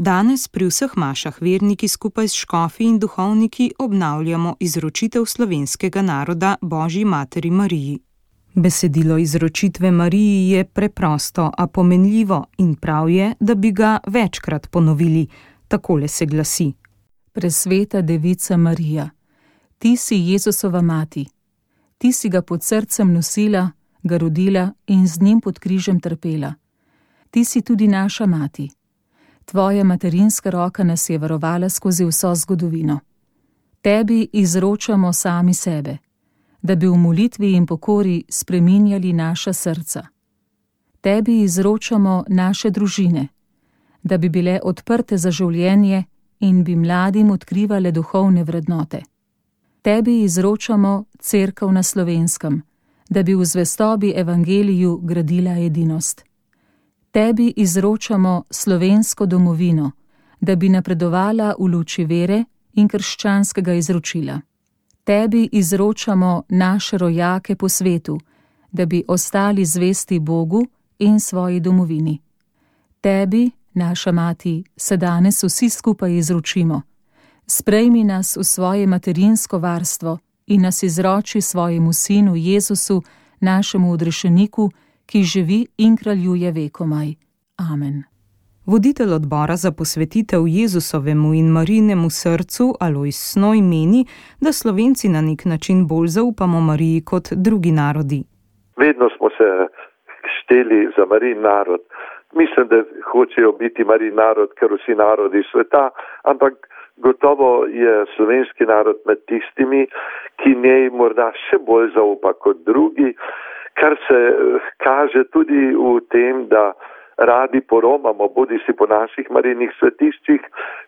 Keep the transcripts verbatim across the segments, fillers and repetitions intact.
Danes pri vseh mašah verniki skupaj s škofi in duhovniki obnavljamo izročitev slovenskega naroda Božji materi Mariji. Besedilo izročitve Mariji je preprosto, a pomenljivo in prav je, da bi ga večkrat ponovili. Takole se glasi. Presveta devica Marija, ti si Jezusova mati. Ti si ga pod srcem nosila, ga rodila in z njim pod križem trpela. Ti si tudi naša mati. Tvoja materinska roka nas je varovala skozi vso zgodovino. Tebi izročamo sami sebe, da bi v molitvi in pokori spreminjali naša srca. Tebi izročamo naše družine, da bi bile odprte za življenje in bi mladim odkrivale duhovne vrednote. Tebi izročamo cerkev na Slovenskem, da bi v zvestobi evangeliju gradila edinost. Tebi izročamo slovensko domovino, da bi napredovala v luči vere in krščanskega izročila. Tebi izročamo naše rojake po svetu, da bi ostali zvesti Bogu in svoji domovini. Tebi, naša mati, se danes vsi skupaj izročimo. Sprejmi nas v svoje materinsko varstvo in nas izroči svojemu sinu Jezusu, našemu odrešeniku, ki živi in kraljuje vekomaj. Amen. Voditelj odbora za posvetitev Jezusovemu in Marijinemu srcu Alojz Snoj meni, da Slovenci na nek način bolj zaupamo Mariji kot drugi narodi. Vedno smo se šteli za Marijin narod. Mislim, da hočejo biti Marijin narod, ker vsi narodi sveta, ampak gotovo je slovenski narod med tistimi, ki njej morda še bolj zaupa kot drugi, kar se kaže tudi v tem, da radi poromamo, bodi si po naših Marijinih svetiščih,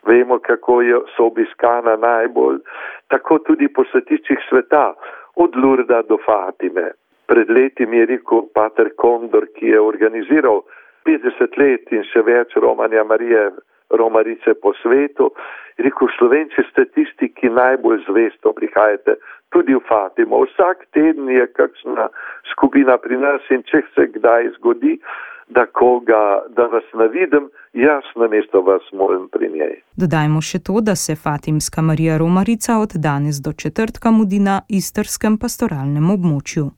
vemo, kako so obiskana najbolj, tako tudi po svetiščih sveta, od Lurda do Fatime. Pred leti mi je rekel pater Kondor, ki je organiziral petdeset let in še več romanja Marije, romarice po svetu, rekel, Slovenci ste tisti, ki najbolj zvesto prihajate tudi v Fatimo. Vsak teden je kakšna skupina pri nas in če se kdaj zgodi, da koga, da vas navidim, jaz namesto vas moram pri njej. Dodajmo še to, da se Fatimska Marija Romarica od danes do četrtka mudi na istrskem pastoralnem območju.